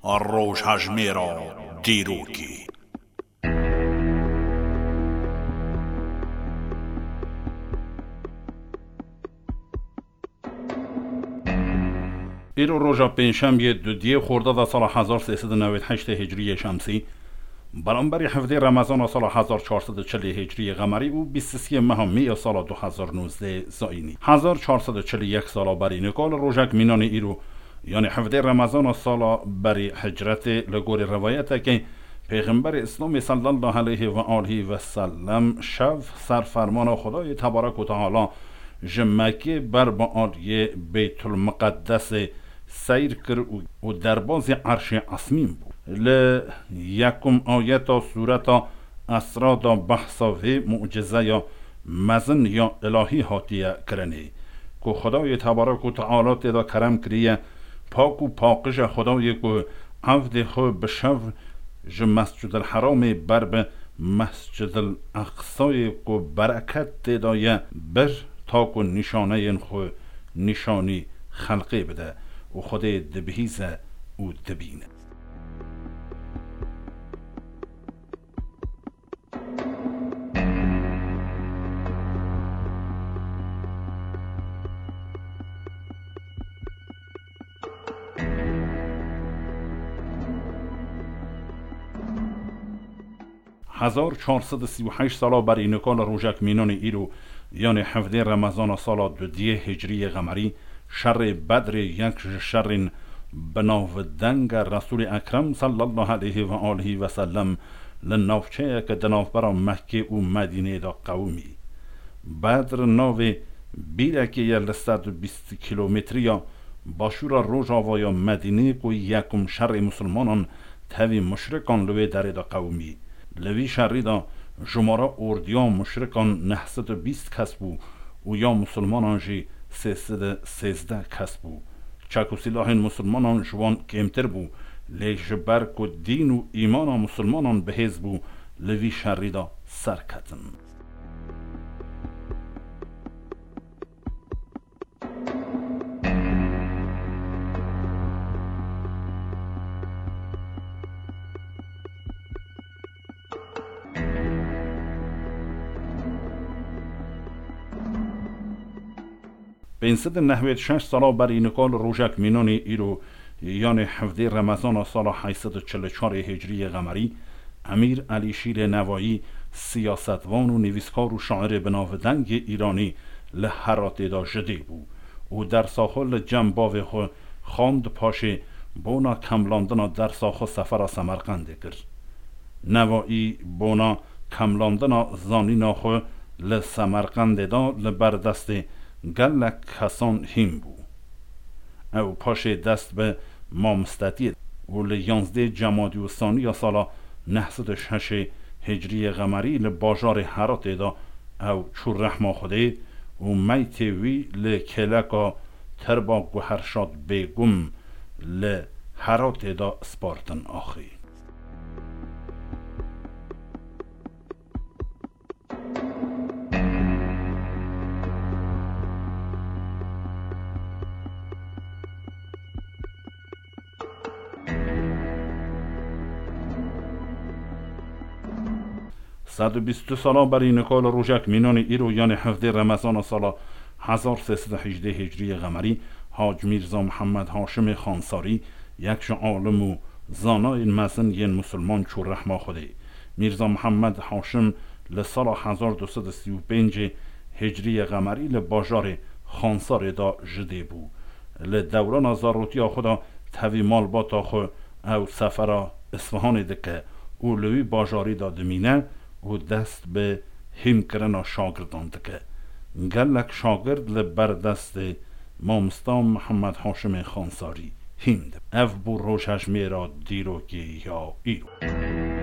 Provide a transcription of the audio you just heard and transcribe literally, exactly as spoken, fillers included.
Rojhejmêra dîrokê. Îro roja pêncşemiyê, dudiyê xordada sala hezar sê sed û newêd heştê hicriyê şemsî, beramberî hevdê remezana sala hezar çar sed û çilî hicriyê qemerî û bîst û sê meha meyê sala du hezar nozdeh zayînî. Hezar çar sed û çilî yek sala berî nika li rojek mînanê îro, yanî hevdê remezana sala berî hicretê, li gorî rivayetekê, Pêxemberê Îslamê sallallahu aleyhi ve aleyhi ve sellem şev ser fermana Xwedayê tebarek û teala ji Mekkê ber bi aliyê Beytul Miqeddesê seyr kir û, û derbazî Erşê Esmîn bû. Li yekum ayeta sûreta Esra de behsa vê mucizeya mezin ya îlahî hatiye kirinê, ku Xwedayê tebarek û teala tê de kerem kiriye, pak û paqij e Xwedayê ku evdê xwe bi şev ji Mescidil Heramê ber bi Mescidil Eqsayê ku bereket tê de ye bir, ta ku nîşaneyên xwe nîşanî xelqê bide û Xwedê dibihîze û dibîne. Hezar çar sed û sî û heşt sala berî nika li rojek mînanê îro, yanê hevdê remezana sala dudiyê hicriyê qemerî, şerê Bedrê, yek ji şerên bi navdenge Resûlê Ekrem sallallahu aleyhi ve aleyhi ve sellem, li navçeyeke di navbera Mekkê û Medînê de qewimî. Bedr navê bîrekê ye li sed û bîst kîlometriya başûra rojavaya Medînê ku yekum şerê misilmanan tevî muşrikan li wê derê de qewimî. Li vî şerî de jumara ordiya muşrikan neh sed û bîst kes bû û ya misilmanan jî sê sed û sêzdeh kes bû. Çek û sîlahên misilmanan ji wan kêmtir bû, lê ji ber ku dîn û îmana misilmanan bihêz bû, li vî şerî de serketin. Pênc sed û nehwêd şeş sala berî nika li rojek mînanê îro, yanê hevdê remezana sala heyt sed û çil û çarê hicriyê qemerî, Emîr Elî Şîrê Nevayî, siyasetvan û nivîskar û şairê binavdengê Îranî, li Heratê de ji dê bû û dersa xwe li cem bavê xwe xwend, paşê bona kemlandina dersa xwe sefera Semerqendê kir. Nevayî bona kemlandina zanîna xwe li Semerqendê de li ber destê gelek kesan hîn bû. Ew paşê dest bi mamostetiyê û li yanzdê Cemadî Usaniya sala neh sed û şeşê hicriyê qemerî li bajarê Heratê de ew çû rehma Xwedê û meytê wî li kêleka Terba Guherşad Bêgum li Heratê de spartin axê. Sed û bîst û du sala berî nika li rojek mînanê îro, yanê hevdê remezana sala hezar sê sed û hejdê hicriyê qemerî, Hac Mîrza Mihemed Haşimê Xansarî, yek ji alim û zanayên mezin yên misilman çû rehma Xwedê. Mîrza Mihemed Haşim li sala hezar du sed û sî û pêncê hicriyê qemerî li bajarê Xansarê de ji dê bû. Li dewrana zarotiya xwe de tevî malbata xwe ew sefera Isfahanê dike û li wî bajarî de dimîne û dest bi hînkirina şagirdan dike. Gelek şagird li ber destê mamosta Mihemed Haşimê Xansarî hîn dibin. Ev bû rojhejmêra dîrokê ya îro.